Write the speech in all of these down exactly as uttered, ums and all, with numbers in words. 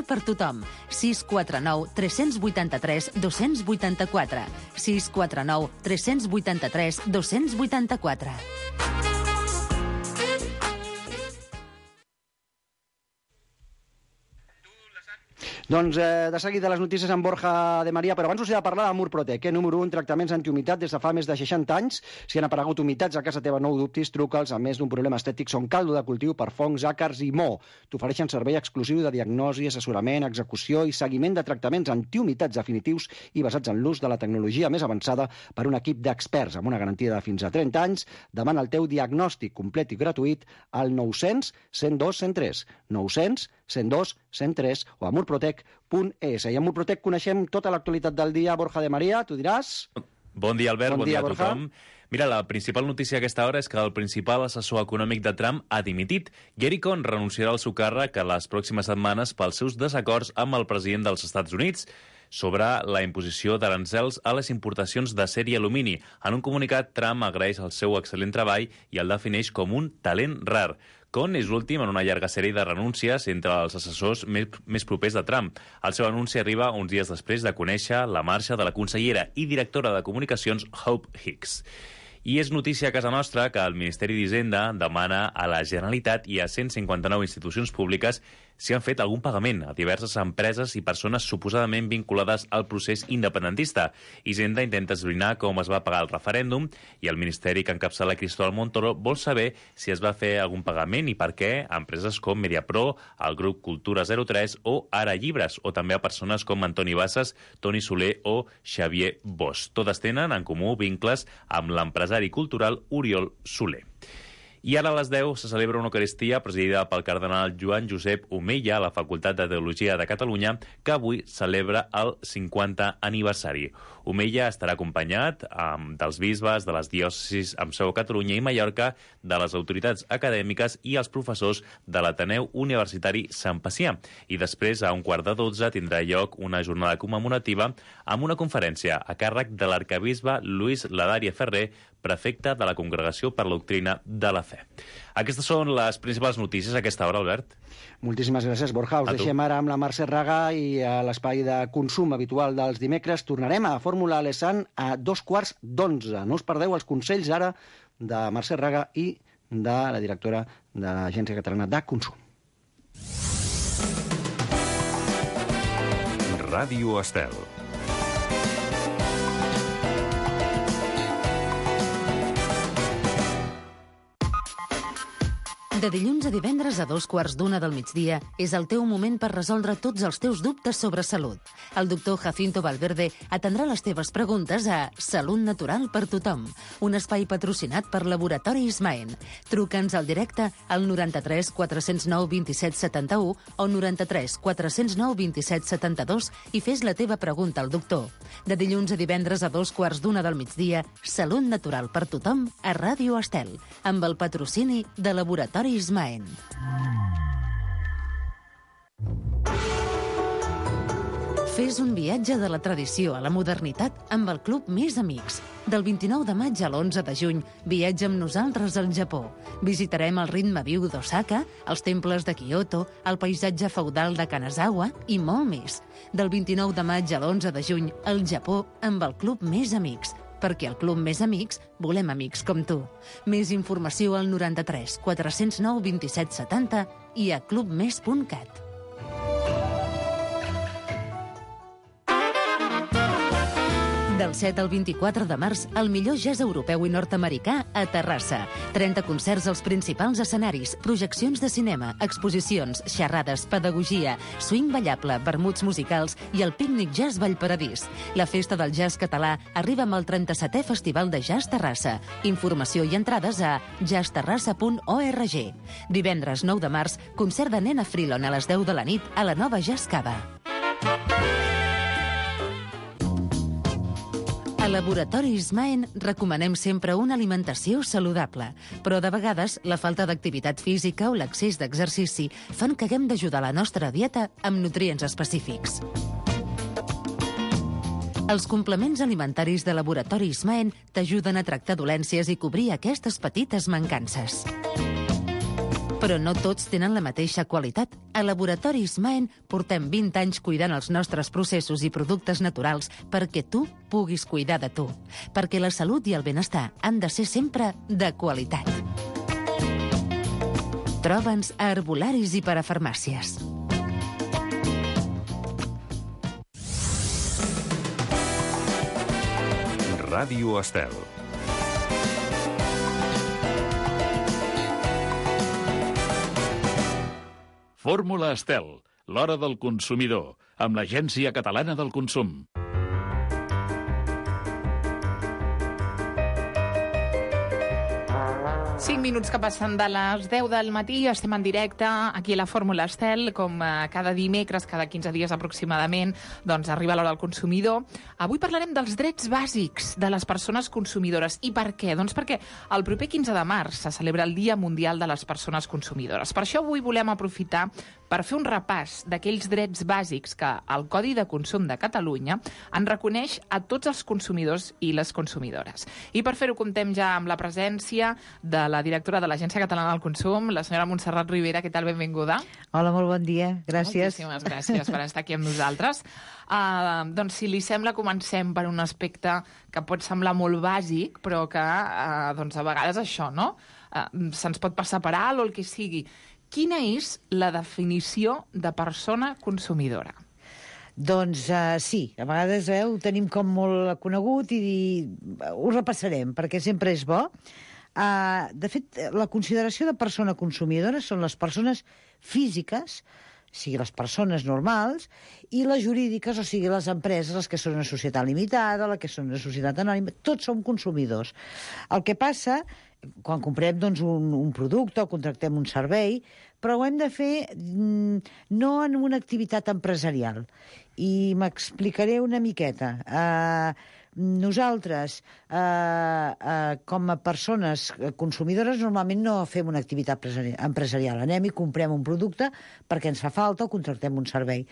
Nord per tothom. sis quatre nou tres vuit tres dos vuit quatre. sis quatre nou tres vuit tres dos vuit quatre. Doncs eh, de seguida les notícies amb Borja de Maria, però abans us he de parlar de Murprotec, eh? Número un, tractaments antihumitat des de fa més de seixanta anys. Si han aparegut humitats a casa teva, no ho dubtis, truca'ls. A més d'un problema estètic, són caldo de cultiu per fongs, àcars i mo. T'ofereixen servei exclusiu de diagnosi, assessorament, execució i seguiment de tractaments antihumitats definitius i basats en l'ús de la tecnologia més avançada per un equip d'experts amb una garantia de fins a trenta anys. Demana el teu diagnòstic complet i gratuït al nou cents cent dos cent tres. nou cents cent dos cent tres o a murprotec punt es. I a Murprotec coneixem tota l'actualitat del dia. Borja de Maria, tu diràs? Bon dia, Albert, bon, bon dia, dia a Borja. tothom. Mira, la principal notícia a aquesta hora és que el principal assessor econòmic de Trump ha dimitit. Gary Cohn renunciarà al seu càrrec a les pròximes setmanes pels seus desacords amb el president dels Estats Units sobre la imposició d'aranzels a les importacions d'acer i alumini. En un comunicat, Trump agraeix el seu excel·lent treball i el defineix com un talent rar. Cohn és l'últim en una llarga sèrie de renúncies entre els assessors més, més propers de Trump. El seu anunci arriba uns dies després de conèixer la marxa de la consellera i directora de comunicacions Hope Hicks. I és notícia a casa nostra que el Ministeri d'Hisenda demana a la Generalitat i a cent cinquanta-nou institucions públiques si han fet algun pagament a diverses empreses i persones suposadament vinculades al procés independentista. Hisenda intenta esbrinar com es va pagar el referèndum i el Ministeri que encapçala Cristóbal Montoro vol saber si es va fer algun pagament i per què a empreses com Mediapro, el grup Cultura zero tres o Ara Llibres, o també a persones com Antoni Bassas, Toni Soler o Xavier Bosch. Totes tenen en comú vincles amb l'empresari cultural Oriol Soler. I ara a les deu se celebra una Eucaristia presidida pel cardenal Joan Josep Omeya a la Facultat de Teologia de Catalunya, que avui celebra el cinquanta aniversari. Omeya estarà acompanyat um, dels bisbes de les diòcesis amb seu a Catalunya i Mallorca, de les autoritats acadèmiques i els professors de l'Ateneu Universitari Sant Pacià. I després, a un quart de dotze, tindrà lloc una jornada commemorativa amb una conferència a càrrec de l'arcabisbe Lluís Ladària Ferrer, prefecte de la Congregació per la Doctrina de la Fe. Aquestes són les principals notícies a aquesta hora, Albert. Moltíssimes gràcies, Borja. Us deixem ara amb la Mercè Raga i a l'espai de consum habitual dels dimecres. Tornarem a Fórmula Alessand a dos quarts d'onze. No us perdeu els consells ara de Mercè Raga i de la directora de l'Agència Catalana de Consum. Ràdio Estel. De dilluns a divendres a dos quarts d'una del migdia és el teu moment per resoldre tots els teus dubtes sobre salut. El doctor Jacinto Valverde atendrà les teves preguntes a Salut Natural per Tothom, un espai patrocinat per Laboratori Ismaen. Truca'ns al directe al noranta-tres quatre cents nou vint-i-set setanta-u o noranta-tres quatre cents nou vint-i-set setanta-dos i fes la teva pregunta al doctor. De dilluns a divendres a dos quarts d'una del migdia, Salut Natural per Tothom a Ràdio Estel, amb el patrocini de Laboratori Ismaen. Fes un viatge de la tradició a la modernitat amb el Club Més Amics. Del vint-i-nou de maig a l'onze de juny, viatja amb nosaltres al Japó. Visitarem el ritme viu d'Osaka, els temples de Kyoto, el paisatge feudal de Kanazawa i molt més. Del vint-i-nou de maig a l'onze de juny, al Japó amb el Club Més Amics. Perquè al Club Més Amics volem amics com tu. Més informació al noranta-tres quatre cents nou vint-i-set setanta i a clubmes punt cat. Del set al vint-i-quatre de març, el millor jazz europeu i nord-americà a Terrassa. trenta concerts als principals escenaris, projeccions de cinema, exposicions, xerrades, pedagogia, swing ballable, vermuts musicals i el pícnic jazz Vallparadís. La festa del jazz català arriba amb el trenta-setè Festival de Jazz Terrassa. Informació i entrades a jazz terrassa punt org. Divendres nou de març, concert de Nena Freelon a les deu de la nit a la nova Jazz Cava. A Laboratori Ismaen recomanem sempre una alimentació saludable, però de vegades la falta d'activitat física o l'excés d'exercici fan que haguem d'ajudar la nostra dieta amb nutrients específics. Els complements alimentaris de Laboratori Ismaen t'ajuden a tractar dolències i cobrir aquestes petites mancances. Però no tots tenen la mateixa qualitat. A Laboratoris Maen portem vint anys cuidant els nostres processos i productes naturals perquè tu puguis cuidar de tu. Perquè la salut i el benestar han de ser sempre de qualitat. Troba'ns a herbolaris i parafarmàcies. Ràdio Estel. Fórmula Estel, l'hora del consumidor, amb l'Agència Catalana del Consum. cinc minuts que passen de les deu del matí, estem en directe aquí a la Fórmula Estel, com cada dimecres, cada quinze dies aproximadament, doncs arriba l'hora del consumidor. Avui parlarem dels drets bàsics de les persones consumidores. I per què? Doncs perquè el proper quinze de març se celebra el Dia Mundial de les Persones Consumidores. Per això avui volem aprofitar per fer un repàs d'aquells drets bàsics que el Codi de Consum de Catalunya en reconeix a tots els consumidors i les consumidores. I per fer-ho comptem ja amb la presència de la directora de l'Agència Catalana del Consum, la senyora Montserrat Ribera. Què tal? Benvinguda. Hola, molt bon dia. Gràcies. Moltíssimes gràcies per estar aquí amb nosaltres. Uh, doncs, si li sembla, comencem per un aspecte que pot semblar molt bàsic, però que uh, doncs, a vegades això, no? Uh, se'ns pot passar per alt o el que sigui. Quina és la definició de persona consumidora? Doncs uh, sí, a vegades eh, ho tenim com molt conegut i, i ho repassarem, perquè sempre és bo. Uh, de fet, la consideració de persona consumidora són les persones físiques, o sigui, les persones normals, i les jurídiques, o sigui, les empreses, les que són una societat limitada, les que són una societat anònima, tots som consumidors. El que passa, quan comprem doncs, un, un producte o contractem un servei, però ho hem de fer mm, no en una activitat empresarial. I m'explicaré una miqueta. Uh, Nosaltres, eh, eh, com a persones consumidores, normalment no fem una activitat empresarial. Anem i comprem un producte perquè ens fa falta o contractem un servei.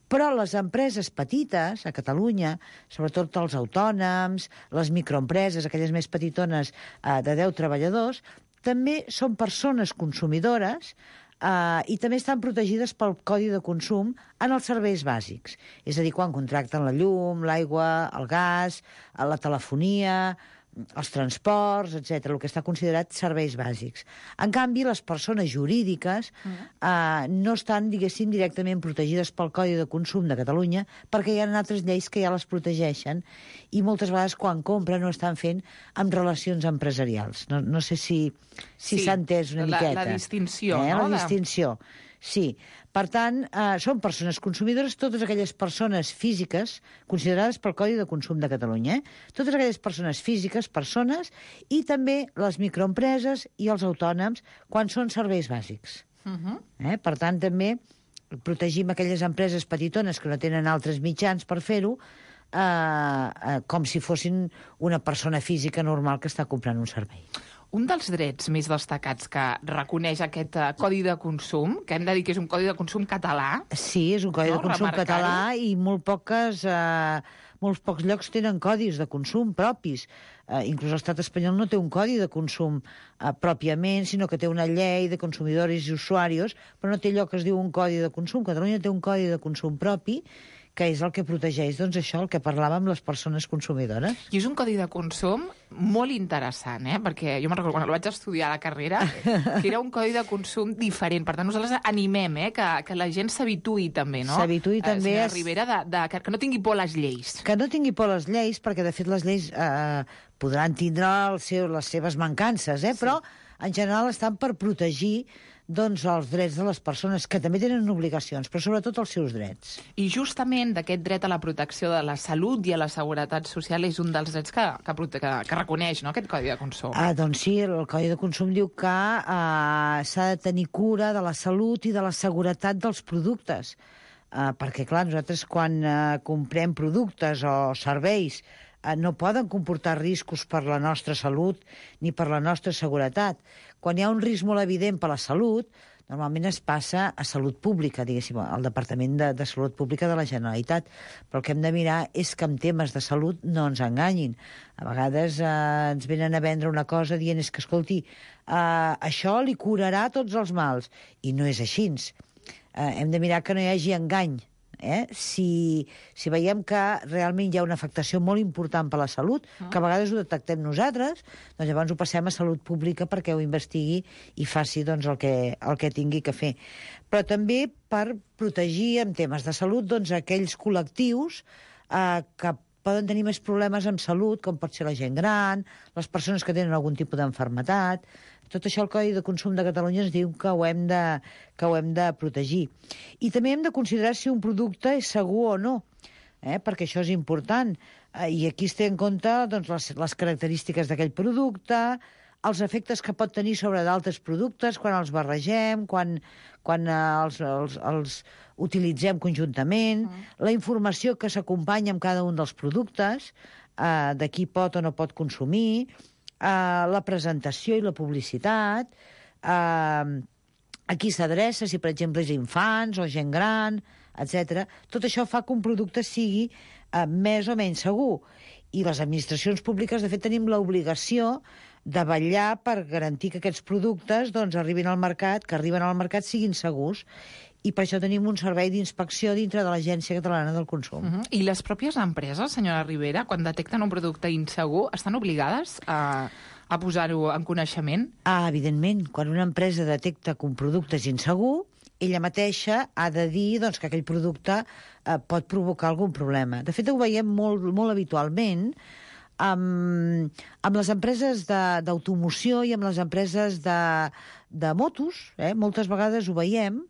Però les empreses petites, a Catalunya, sobretot els autònoms, les microempreses, aquelles més petitones eh, de deu treballadors, també són persones consumidores Uh, i també estan protegides pel Codi de Consum en els serveis bàsics. És a dir, quan contracten la llum, l'aigua, el gas, la telefonia, els transports, etcètera, el que està considerat serveis bàsics. En canvi, les persones jurídiques uh, no estan, diguéssim, directament protegides pel Codi de Consum de Catalunya perquè hi ha altres lleis que ja les protegeixen i moltes vegades quan compren no estan fent amb relacions empresarials. No, no sé si si s'ha sí, entès una la, miqueta. La distinció, eh? no? La distinció, sí. Per tant, eh, són persones consumidores totes aquelles persones físiques considerades pel Codi de Consum de Catalunya. Eh? Totes aquelles persones físiques, persones, i també les microempreses i els autònoms quan són serveis bàsics. Uh-huh. eh? Per tant, també protegim aquelles empreses petitones que no tenen altres mitjans per fer-ho, eh, eh, com si fossin una persona física normal que està comprant un servei. Un dels drets més destacats que reconeix aquest uh, Codi de Consum, que hem de dir que és un Codi de Consum català... Sí, és un Codi no? de Consum català i molt poques, eh, molts pocs llocs tenen codis de consum propis. Eh, inclús l'estat espanyol no té un codi de consum eh, pròpiament, sinó que té una llei de consumidors i usuaris, però no té allò que es diu un codi de consum. Catalunya té un codi de consum propi, que és el que protegeix, doncs, això, el que parlàvem, les persones consumidores. I és un codi de consum molt interessant, eh? Perquè jo me'n recordo, quan el vaig estudiar a la carrera, que era un codi de consum diferent. Per tant, nosaltres animem eh? que, que la gent s'habituï també, no? S'habituï també... Eh, Ribera, de, de, que, que no tingui por a les lleis. Que no tingui por a les lleis, perquè, de fet, les lleis eh, podran tindre el seu, les seves mancances, eh? Sí. Però, en general, estan per protegir doncs, els drets de les persones, que també tenen obligacions, però sobretot els seus drets. I justament d'aquest dret a la protecció de la salut i a la seguretat social és un dels drets que, que, que, que reconeix, no?, aquest Codi de Consum. Ah, doncs sí, el Codi de Consum diu que eh, s'ha de tenir cura de la salut i de la seguretat dels productes. Eh, perquè, clar, nosaltres quan eh, comprem productes o serveis eh, no poden comportar riscos per la nostra salut ni per la nostra seguretat. Quan hi ha un risc molt evident per la salut, normalment es passa a Salut Pública, diguéssim, al Departament de, de Salut Pública de la Generalitat. Però el que hem de mirar és que en temes de salut no ens enganyin. A vegades eh, ens venen a vendre una cosa dient és que, escolti, eh, això li curarà tots els mals. I no és així. Eh, hem de mirar que no hi hagi engany. Eh? Si, si veiem que realment hi ha una afectació molt important per la salut, que a vegades ho detectem nosaltres, doncs llavors ho passem a Salut Pública perquè ho investigui i faci doncs, el, que, el que tingui que fer. Però també per protegir en temes de salut doncs, aquells col·lectius eh, que poden tenir més problemes amb salut, com pot ser la gent gran, les persones que tenen algun tipus d'enfermetat. Tot això el Codi de Consum de Catalunya ens diu que ho hem de, que ho hem de protegir. I també hem de considerar si un producte és segur o no, eh? perquè això és important. Eh, I aquí es té en compte doncs, les, les característiques d'aquell producte, els efectes que pot tenir sobre d'altres productes quan els barregem, quan, quan eh, els, els, els utilitzem conjuntament, mm. la informació que s'acompanya amb cada un dels productes, eh, de qui pot o no pot consumir, Uh, la presentació i la publicitat, uh, a qui s'adreça, si per exemple és infants o gent gran, etcètera. Tot això fa que un producte sigui uh, més o menys segur. I les administracions públiques, de fet, tenim l'obligació de vetllar per garantir que aquests productes doncs, arribin al mercat, que arriben al mercat siguin segurs. I per això tenim un servei d'inspecció dintre de l'Agència Catalana del Consum. Uh-huh. I les pròpies empreses, senyora Ribera, quan detecten un producte insegur, estan obligades a, a posar-ho en coneixement? Ah, evidentment. Quan una empresa detecta que un producte és insegur, ella mateixa ha de dir doncs, que aquell producte eh, pot provocar algun problema. De fet, ho veiem molt, molt habitualment amb, amb les empreses d'automoció i amb les empreses de, de motos. Eh? Moltes vegades ho veiem,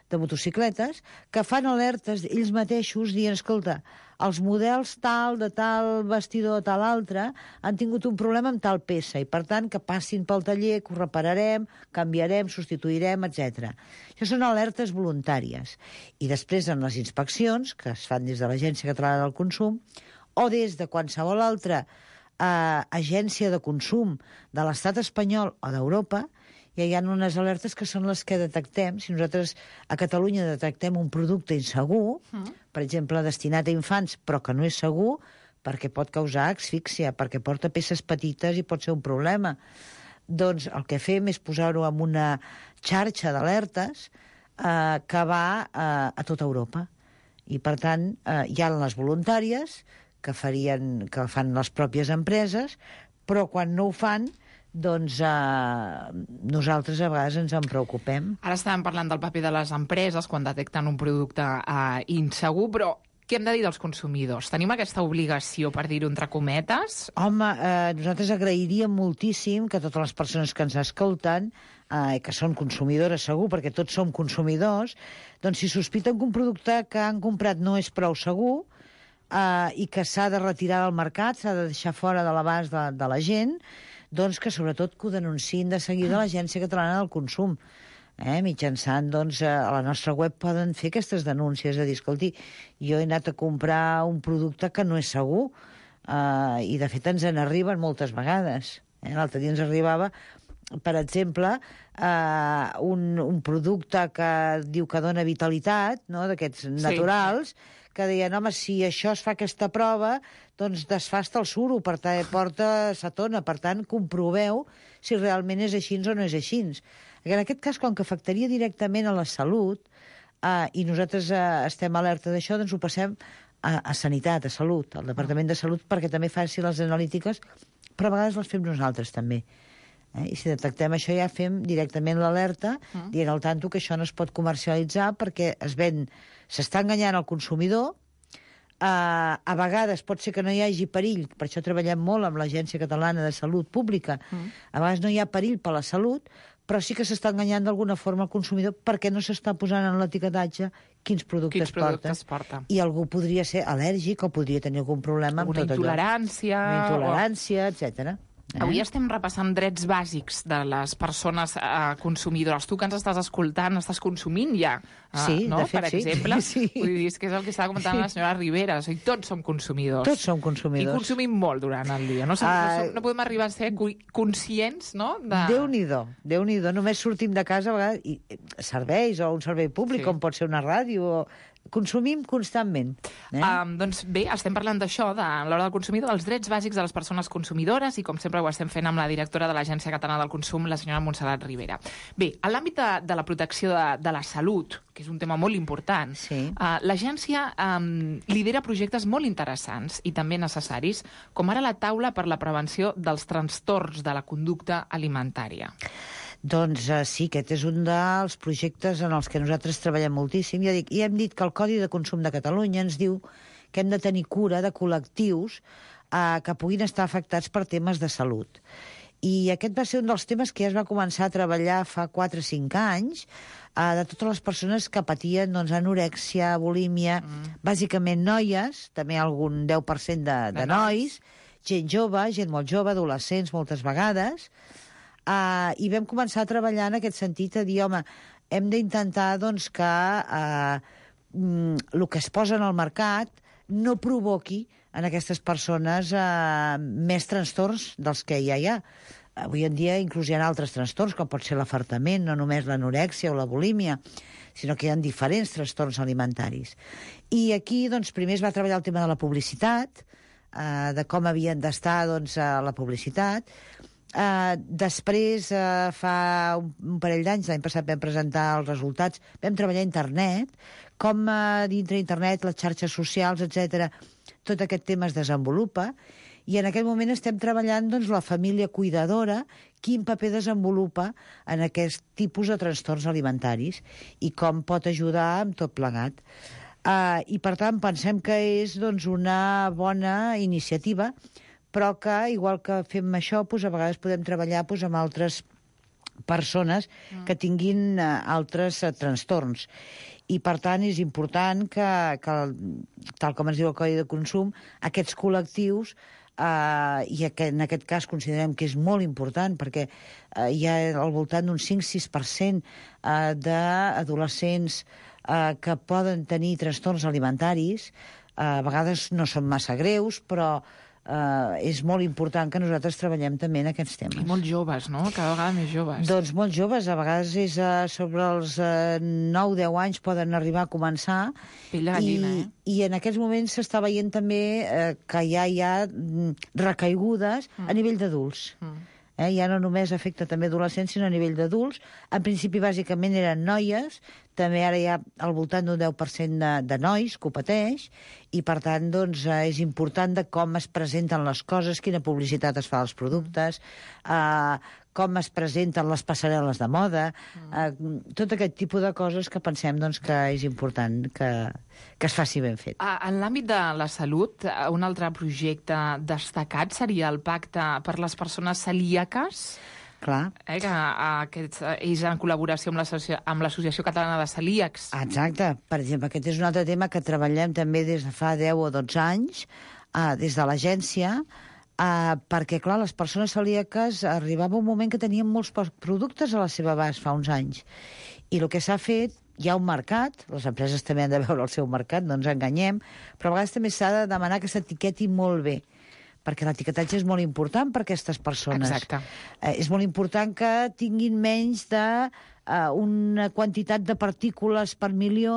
de motocicletes, que fan alertes ells mateixos dient, escolta, els models tal, de tal vestidor, tal altre, han tingut un problema amb tal peça i, per tant, que passin pel taller, que ho repararem, canviarem, substituirem, etcètera. Això són alertes voluntàries. I després, en les inspeccions, que es fan des de l'Agència Catalana del Consum, o des de qualsevol altra eh, agència de consum de l'estat espanyol o d'Europa, ja hi ha unes alertes que són les que detectem. Si nosaltres a Catalunya detectem un producte insegur, mm. per exemple, destinat a infants, però que no és segur, perquè pot causar asfíxia, perquè porta peces petites i pot ser un problema, doncs el que fem és posar-ho en una xarxa d'alertes eh, que va eh, a tota Europa. I, per tant, eh, hi ha les voluntàries que, farien, que fan les pròpies empreses, però quan no ho fan, doncs eh, nosaltres a vegades ens en preocupem. Ara estàvem parlant del paper de les empreses quan detecten un producte eh, insegur, però què hem de dir dels consumidors? Tenim aquesta obligació, per dir-ho entre cometes? Home, eh, nosaltres agrairíem moltíssim que totes les persones que ens escolten, eh, que són consumidores segur, perquè tots som consumidors, doncs si sospiten que un producte que han comprat no és prou segur eh, i que s'ha de retirar del mercat, s'ha de deixar fora de l'abast de, de la gent, doncs que sobretot que ho denunciïn de seguida a l'Agència Catalana del Consum. Eh, mitjançant, doncs, a la nostra web poden fer aquestes denúncies, és a dir, escolti, jo he anat a comprar un producte que no és segur, eh, i de fet ens en arriben moltes vegades. Eh? L'altre dia ens arribava, per exemple, eh, un, un producte que diu que dona vitalitat, no?, d'aquests naturals, sí, que deien, home, si això es fa aquesta prova, doncs desfà hasta el suro, per tant, porta cetona, per tant, comproveu si realment és així o no és així. En aquest cas, com que afectaria directament a la salut, eh, i nosaltres eh, estem alerta d'això, doncs ho passem a, a Sanitat, a Salut, al Departament de Salut, perquè també faci les analítiques, però a vegades les fem nosaltres també. Eh? I si detectem això ja fem directament l'alerta, mm. dient al tanto que això no es pot comercialitzar perquè es ven, s'està enganyant el consumidor, eh, a vegades pot ser que no hi hagi perill, per això treballem molt amb l'Agència Catalana de Salut Pública, mm. a vegades no hi ha perill per la salut, però sí que s'està enganyant d'alguna forma el consumidor perquè no s'està posant en l'etiquetatge quins productes, quins productes porta. I algú podria ser al·lèrgic o podria tenir algun problema amb una tot intolerància, allò. Una intolerància, o... etcètera. Eh? Avui estem repassant drets bàsics de les persones eh, consumidores. Tu que ens estàs escoltant, estàs consumint ja, eh, sí, no? de fet, Per sí. exemple. Sí. Vull dir, és que és el que estava comentant sí. la senyora Rivera. O sigui, tots som consumidors. Tots som consumidors. I consumim molt durant el dia. No, som, uh, no, som, no podem arribar a ser conscients, no? De... Déu-n'hi-do, Déu-n'hi-do. Només sortim de casa a vegades, i serveis, o un servei públic, sí. com pot ser una ràdio, o... consumim constantment. Eh? Um, doncs bé, estem parlant d'això, de l'hora del consumidor, dels drets bàsics de les persones consumidores, i com sempre ho estem fent amb la directora de l'Agència Catalana del Consum, la senyora Montserrat Rivera. Bé, en l'àmbit de, de la protecció de, de la salut, que és un tema molt important, sí. uh, l'agència um, lidera projectes molt interessants i també necessaris, com ara la taula per la prevenció dels trastorns de la conducta alimentària. Doncs uh, sí, aquest és un dels projectes en els que nosaltres treballem moltíssim. Ja dic, i hem dit que el Codi de Consum de Catalunya ens diu que hem de tenir cura de col·lectius uh, que puguin estar afectats per temes de salut. I aquest va ser un dels temes que ja es va començar a treballar fa quatre o cinc anys, uh, de totes les persones que patien doncs, anorèxia, bulímia, mm. bàsicament noies, també algun deu per cent de, de, de nois, nois, gent jove, gent molt jove, adolescents moltes vegades. Uh, I vam començar a treballar en aquest sentit, a dir, home, hem d'intentar doncs, que uh, mm, el que es posa en el mercat no provoqui en aquestes persones uh, més trastorns dels que ja hi ha. Avui en dia inclús hi ha altres trastorns, com pot ser l'afartament, no només l'anorèxia o la bulímia, sinó que hi ha diferents trastorns alimentaris. I aquí, doncs, primer es va treballar el tema de la publicitat, uh, de com havien d'estar doncs, a la publicitat. Uh, després, uh, fa un, un parell d'anys, l'any passat vam presentar els resultats, vam treballar a internet, com uh, dintre internet, les xarxes socials, etcètera, tot aquest tema es desenvolupa, i en aquest moment estem treballant doncs, la família cuidadora, quin paper desenvolupa en aquest tipus de trastorns alimentaris i com pot ajudar amb tot plegat. Uh, I, per tant, pensem que és doncs, una bona iniciativa, però que, igual que fem això, doncs, a vegades podem treballar doncs, amb altres persones que tinguin uh, altres uh, trastorns. I, per tant, és important que, que, tal com ens diu el Codi de Consum, aquests col·lectius, uh, i que en aquest cas considerem que és molt important, perquè uh, hi ha al voltant d'un cinc a sis per cent uh, d'adolescents uh, que poden tenir trastorns alimentaris, uh, a vegades no són massa greus, però Uh, és molt important que nosaltres treballem també en aquests temes. I molt joves, no? Cada vegada més joves. Doncs molt joves, a vegades és uh, sobre els uh, nou a deu anys poden arribar a començar. Pell de gallina, i, eh? I en aquests moments s'està veient també uh, que ja hi ha mm, recaigudes mm. a nivell d'adults. Mm. Eh, ja no només afecta també adolescents, sinó a nivell d'adults. En principi, bàsicament, eren noies, també ara hi ha al voltant d'un deu per cent de, de nois que ho pateix, i per tant doncs, és important de com es presenten les coses, quina publicitat es fa als productes, eh, com es presenten les passarel·les de moda, eh, tot aquest tipus de coses que pensem doncs, que és important que, que es faci ben fet. Ah, en l'àmbit de la salut, un altre projecte destacat seria el Pacte per les persones celíaques, Clar. Eh, que aquest és en col·laboració amb l'Associació amb l'Associació Catalana de Celíacs. Exacte. Per exemple, aquest és un altre tema que treballem també des de fa deu o dotze anys, eh, des de l'agència, eh, perquè, clar, les persones celíaques arribava un moment que tenien molts productes a la seva abast fa uns anys. I el que s'ha fet, hi ha un mercat, les empreses també han de veure el seu mercat, no ens enganyem, però a vegades també s'ha de demanar que s'etiqueti molt bé, perquè l'etiquetatge és molt important per a aquestes persones. Exacte. Eh, és molt important que tinguin menys de eh, una quantitat de partícules per milió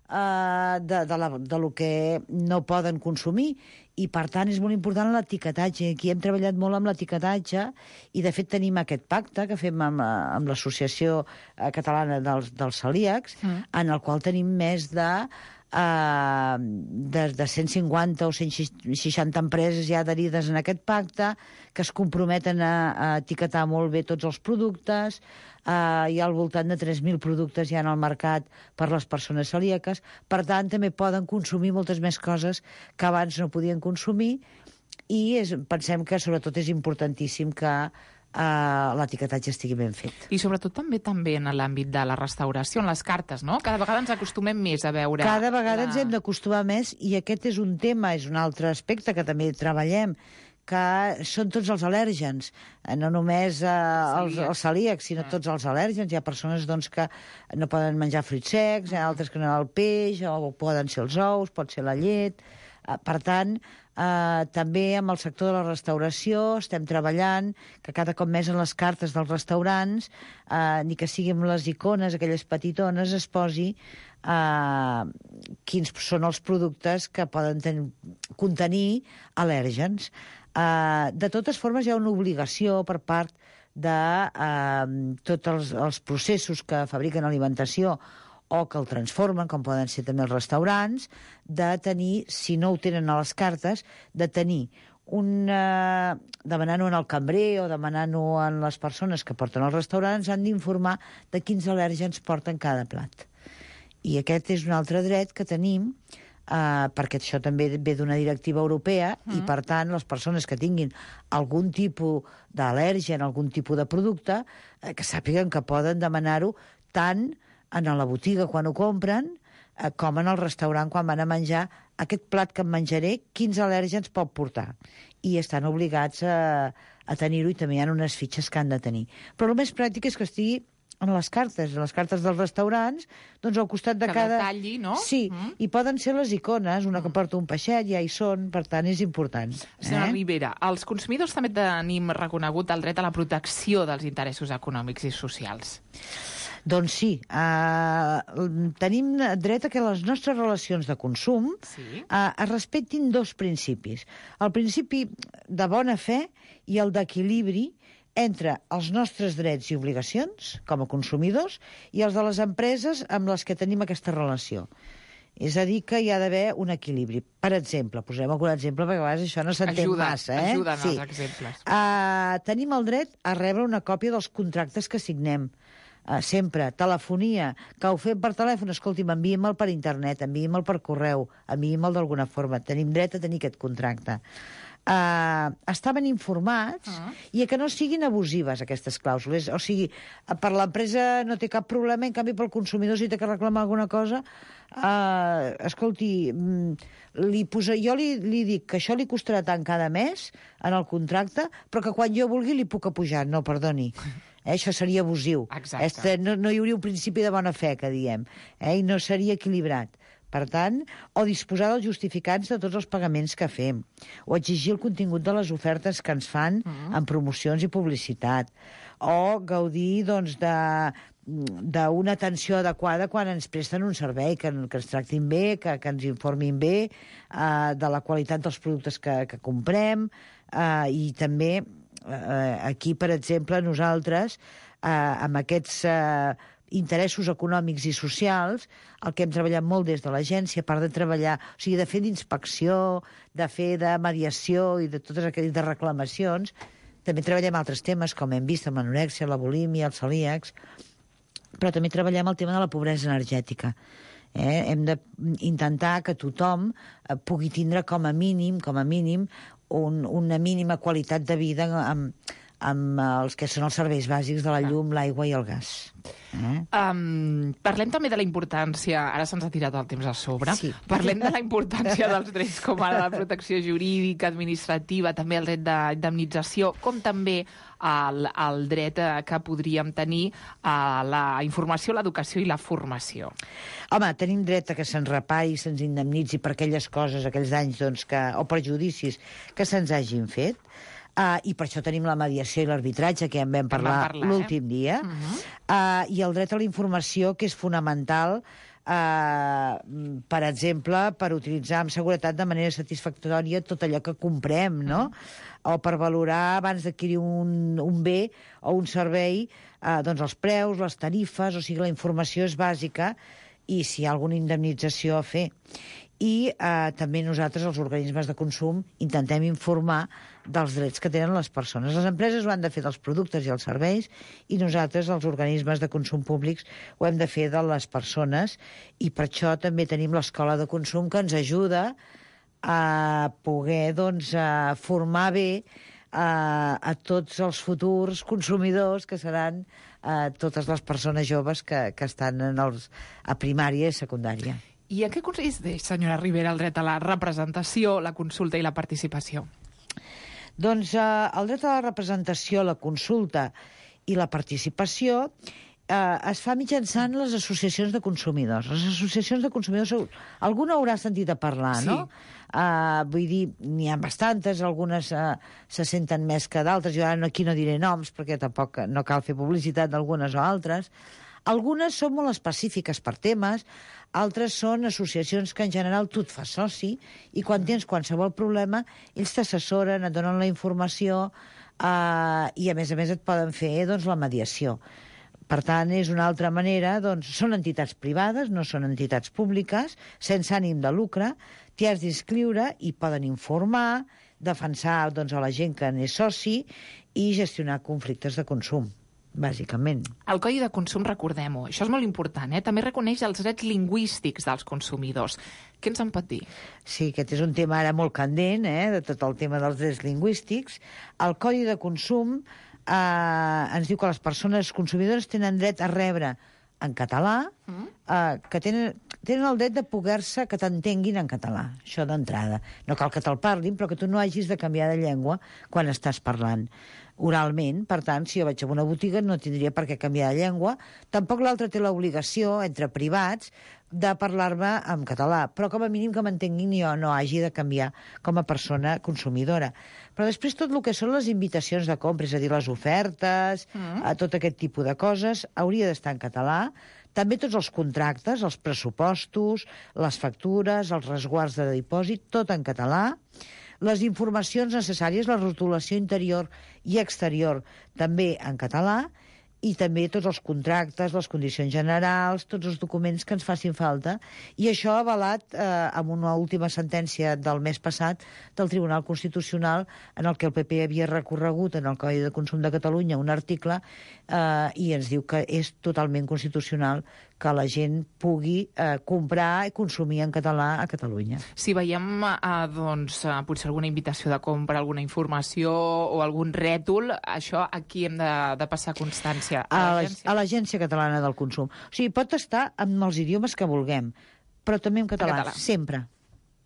eh, de, de, la, de lo que no poden consumir, i per tant és molt important l'etiquetatge. Aquí hem treballat molt amb l'etiquetatge, i de fet tenim aquest pacte que fem amb, amb l'Associació Catalana dels, dels Celíacs, mm. en el qual tenim més de Uh, de, de cent cinquanta o cent seixanta empreses ja adherides en aquest pacte, que es comprometen a, a etiquetar molt bé tots els productes. Uh, hi ha al voltant de tres mil productes ja en el mercat per les persones celíaques. Per tant, també poden consumir moltes més coses que abans no podien consumir, i és, pensem que sobretot és importantíssim que Uh, l'etiquetatge estigui ben fet. I sobretot també també en l'àmbit de la restauració, en les cartes, no? Cada vegada ens acostumem més a veure... Cada vegada la... ens hem d'acostumar més, i aquest és un tema, és un altre aspecte que també treballem, que són tots els al·lèrgens, no només eh, els, els celíacs, sinó tots els al·lèrgens. Hi ha persones doncs, que no poden menjar fruits secs, hi ha altres que no el peix, o poden ser els ous, pot ser la llet. Per tant, eh, també amb el sector de la restauració estem treballant que cada cop més en les cartes dels restaurants, eh, ni que sigui amb les icones, aquelles petitones, es posi eh, quins són els productes que poden ten- contenir al·lèrgens. Eh, de totes formes, hi ha una obligació per part de eh, tots els, els processos que fabriquen alimentació o que el transformen, com poden ser també els restaurants, de tenir, si no ho tenen a les cartes, de tenir un... Eh, demanant-ho en el cambrer o demanant-ho en les persones que porten als restaurants, han d'informar de quins al·lèrgens porten cada plat. I aquest és un altre dret que tenim, eh, perquè això també ve d'una directiva europea, mm. i, per tant, les persones que tinguin algun tipus d'al·lèrgen, algun tipus de producte, eh, que sàpiguen que poden demanar-ho tant en la botiga quan ho compren, eh, com en el restaurant quan van a menjar aquest plat que em menjaré, quins al·lèrgens pot portar. I estan obligats a, a tenir-ho, i també hi ha unes fitxes que han de tenir. Però el més pràctic és que estigui en les cartes, en les cartes dels restaurants, doncs al costat de que cada... detalli, no? Sí, mm. i poden ser les icones, una que porta un peixet, ja hi són, per tant és important. Senyora eh? Ribera, els consumidors també tenim reconegut el dret a la protecció dels interessos econòmics i socials. Doncs sí, eh, tenim dret a que les nostres relacions de consum sí. eh, es respectin dos principis. El principi de bona fe i el d'equilibri entre els nostres drets i obligacions com a consumidors i els de les empreses amb les que tenim aquesta relació. És a dir, que hi ha d'haver un equilibri. Per exemple, posem algun exemple, perquè a vegades això no s'entén Ajuda, massa. Eh? Ajuden sí. els exemples. Uh, tenim el dret a rebre una còpia dels contractes que signem. Uh, sempre, telefonia, que ho fem per telèfon, escolti, m'enviem-el per internet, enviem-el per correu, enviem-el d'alguna forma. Tenim dret a tenir aquest contracte. Uh, estaven informats uh-huh. i que no siguin abusives aquestes clàusules, o sigui, per l'empresa no té cap problema, en canvi pel consumidor si té que reclamar alguna cosa, uh, escolti, li posa, jo li, li dic que això li costarà tant cada mes en el contracte, però que quan jo vulgui li puc apujar. No, perdoni. Eh, això seria abusiu. Este, no, no hi hauria un principi de bona fe, que diem, eh, i no seria equilibrat. Per tant, o disposar dels justificants de tots els pagaments que fem, o exigir el contingut de les ofertes que ens fan uh-huh. en promocions i publicitat, o gaudir doncs, de d'una atenció adequada quan ens presten un servei, que, que ens tractin bé, que, que ens informin bé uh, de la qualitat dels productes que, que comprem, uh, i també uh, aquí, per exemple, nosaltres, uh, amb aquests... Uh, interessos econòmics i socials, el que hem treballat molt des de l'agència, a part de treballar, o sigui, de fer d'inspecció, de fer de mediació i de totes aquelles de reclamacions, també treballem altres temes, com hem vist, amb l'anorèxia, la bulímia, els celíacs, però també treballem el tema de la pobresa energètica. Eh? Hem d'intentar que tothom eh, pugui tindre com a mínim, com a mínim, un, una mínima qualitat de vida amb, amb els que són els serveis bàsics de la llum, l'aigua i el gas. Eh? Um, parlem també de la importància, ara se'ns ha tirat el temps a sobre, sí. Parlem de la importància dels drets com ara la protecció jurídica, administrativa, també el dret d'indemnització, com també el, el dret que podríem tenir a la informació, l'educació i la formació. Home, tenim dret a que se'ns repari, se'ns indemnitzi per aquelles coses, aquells danys doncs, que, o perjudicis que se'ns hagin fet. Uh, I per això tenim la mediació i l'arbitratge, que ja en vam parlar, parlar l'últim eh? dia. Uh-huh. uh, I el dret a la informació, que és fonamental, uh, per exemple, per utilitzar amb seguretat de manera satisfactòria tot allò que comprem, no? Uh-huh. O per valorar, abans d'adquirir un, un bé o un servei, uh, doncs els preus, les tarifes, o sigui, la informació és bàsica, i si hi ha alguna indemnització a fer. I eh, també nosaltres, els organismes de consum, intentem informar dels drets que tenen les persones. Les empreses ho han de fer dels productes i els serveis, i nosaltres, els organismes de consum públics, ho hem de fer de les persones, i per això també tenim l'escola de consum, que ens ajuda a poder doncs, a formar bé a, a tots els futurs consumidors, que seran a totes les persones joves que, que estan en els, a primària i secundària. I en què consisteix, senyora Ribera, el dret a la representació, la consulta i la participació? Doncs eh, el dret a la representació, la consulta i la participació eh, es fa mitjançant les associacions de consumidors. Les associacions de consumidors, alguna haurà sentit a parlar, Sí. no? Uh, vull dir, n'hi ha bastantes, algunes uh, se senten més que d'altres. Jo ara aquí no diré noms, perquè tampoc no cal fer publicitat d'algunes o altres. Algunes són molt específiques per temes, altres són associacions que en general tu et fas soci i quan tens qualsevol problema ells t'assessoren, et donen la informació uh, i a més a més et poden fer doncs, la mediació. Per tant, és una altra manera, doncs, són entitats privades, no són entitats públiques, sense ànim de lucre, t'hi has d'inscriure i poden informar, defensar doncs, a la gent que n'és soci i gestionar conflictes de consum, bàsicament. El Codi de Consum, recordem-ho, això és molt important, eh? També reconeix els drets lingüístics dels consumidors. Què ens en pot dir? Sí, aquest és un tema ara molt candent, eh? De tot el tema dels drets lingüístics. El Codi de Consum eh, ens diu que les persones consumidores tenen dret a rebre en català, mm. eh, que tenen, tenen el dret de poder-se que t'entenguin en català, això d'entrada. No cal que te'l parlin, però que tu no hagis de canviar de llengua quan estàs parlant oralment. Per tant, si jo vaig a una botiga no tindria per què canviar de llengua. Tampoc l'altre té l'obligació, entre privats, de parlar-me en català, però com a mínim que m'entenguin i jo no hagi de canviar com a persona consumidora. Però després tot el que són les invitacions de compra, és a dir, les ofertes, mm. a tot aquest tipus de coses, hauria d'estar en català. També tots els contractes, els pressupostos, les factures, els resguards de dipòsit, tot en català. Les informacions necessàries, la rotulació interior i exterior, també en català, i també tots els contractes, les condicions generals, tots els documents que ens facin falta. I això avalat eh, amb una última sentència del mes passat del Tribunal Constitucional, en el que el P P havia recorregut en el Codi de Consum de Catalunya un article eh, i ens diu que és totalment constitucional que la gent pugui eh, comprar i consumir en català a Catalunya. Si veiem eh, doncs, eh, potser alguna invitació de compra, alguna informació o algun rètol, això aquí hem de, de passar constància. A l'Agència Catalana del Consum. O sigui, pot estar amb els idiomes que vulguem, però també en català, català. sempre.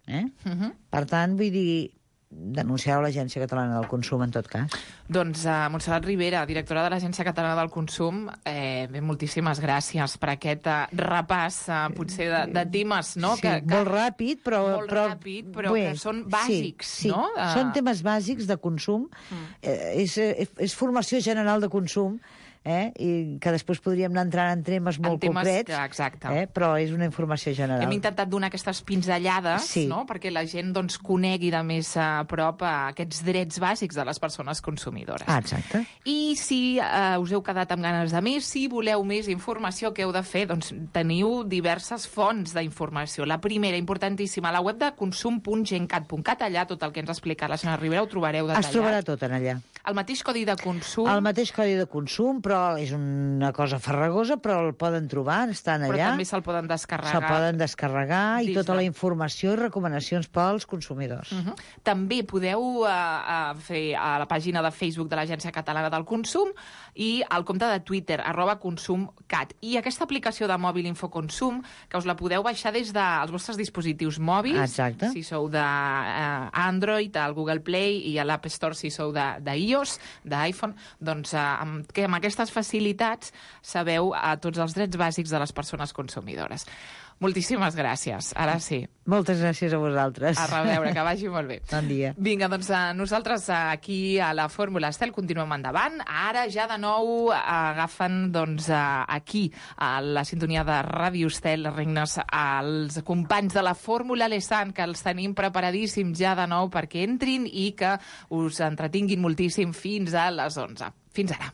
Eh? Uh -huh. Per tant, vull dir, denunciar l'Agència Catalana del Consum, en tot cas. Doncs uh, Montserrat Ribera, directora de l'Agència Catalana del Consum, eh, bé, moltíssimes gràcies per aquest uh, repàs, uh, potser de, de temes, no? Sí, que, que... molt ràpid, però... Molt però, ràpid, però bé, que són bàsics, sí, sí. no? Uh... Són temes bàsics de consum, mm. eh, és, és, és formació general de consum, eh? I que després podríem anar entrant en temes molt en temes concrets, que, exacte. Eh? Però és una informació general. Hem intentat donar aquestes pinzellades, sí. no? Perquè la gent doncs, conegui de més a prop a aquests drets bàsics de les persones consumidores. Ah, exacte. I si eh, us heu quedat amb ganes de més, si voleu més informació, què heu de fer? Doncs teniu diverses fonts d'informació. La primera, importantíssima, la web de consum punt gencat punt cat, allà tot el que ens ha explicat la senyora Ribera ho trobareu detallat. Es trobarà tot en allà. El mateix codi de consum... El mateix codi de consum, però és una cosa farragosa, però el poden trobar, estan allà. Però també se'l poden descarregar. Se'l poden descarregar i tota de... la informació i recomanacions pels consumidors. Uh -huh. També podeu uh, uh, fer a la pàgina de Facebook de l'Agència Catalana del Consum i al compte de Twitter, arroba consumcat. I aquesta aplicació de mòbil Infoconsum, que us la podeu baixar des dels vostres dispositius mòbils, exacte. Si sou d'Android, uh, al Google Play i a l'App Store si sou d'iOS, d'iPhone, doncs uh, amb, que amb aquestes facilitats sabeu a tots els drets bàsics de les persones consumidores. Moltíssimes gràcies. Ara sí. Moltes gràcies a vosaltres. A reveure, que vagi molt bé. Bon dia. Vinga, doncs nosaltres aquí a la Fórmula Estel continuem endavant. Ara ja de nou agafen doncs, aquí a la sintonia de Ràdio Estel regnes als companys de la Fórmula Lesan, que els tenim preparadíssims ja de nou perquè entrin i que us entretinguin moltíssim fins a les onze. Fins ara.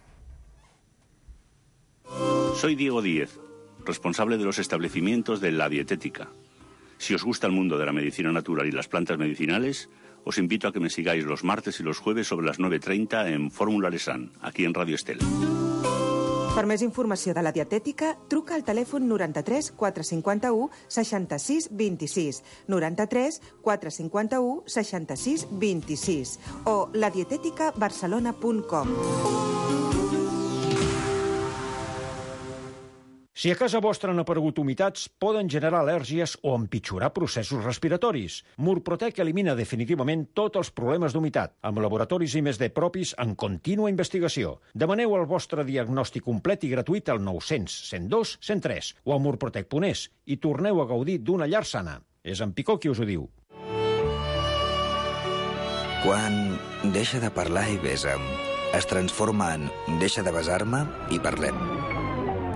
Soy Diego Díez, responsable de los establecimientos de La Dietética. Si os gusta el mundo de la medicina natural y las plantas medicinales, os invito a que me sigáis los martes y los jueves sobre las nueve treinta en Fórmula Lesan, aquí en Radio Estel. Per més informació de la dietètica, truca al telèfon noranta-tres quatre cinquanta-u seixanta-sis vint-i-sis, noranta-tres quatre cinquanta-u seixanta-sis vint-i-sis o la dietética barcelona punt com. Si a casa vostra han aparegut humitats, poden generar al·lèrgies o empitjorar processos respiratoris. Murprotec elimina definitivament tots els problemes d'humitat, amb laboratoris I més D propis en contínua investigació. Demaneu el vostre diagnòstic complet i gratuït al nou cents, cent dos, cent tres o a murprotec punt es i torneu a gaudir d'una llar sana. És en Picó qui us ho diu. Quan deixa de parlar i besa'm, es transforma en deixa de besar-me i parlem.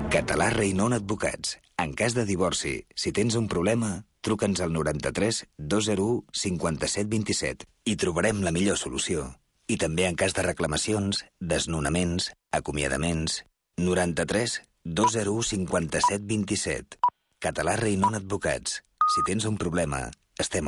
Català Reinon Advocats. En cas de divorci, si tens un problema, truca'ns al noranta-tres dos zero u cinquanta-set vint-i-set i trobarem la millor solució. I també en cas de reclamacions, desnonaments, acomiadaments... noranta-tres dos zero u cinquanta-set vint-i-set. Català Reinon Advocats. Si tens un problema, estem al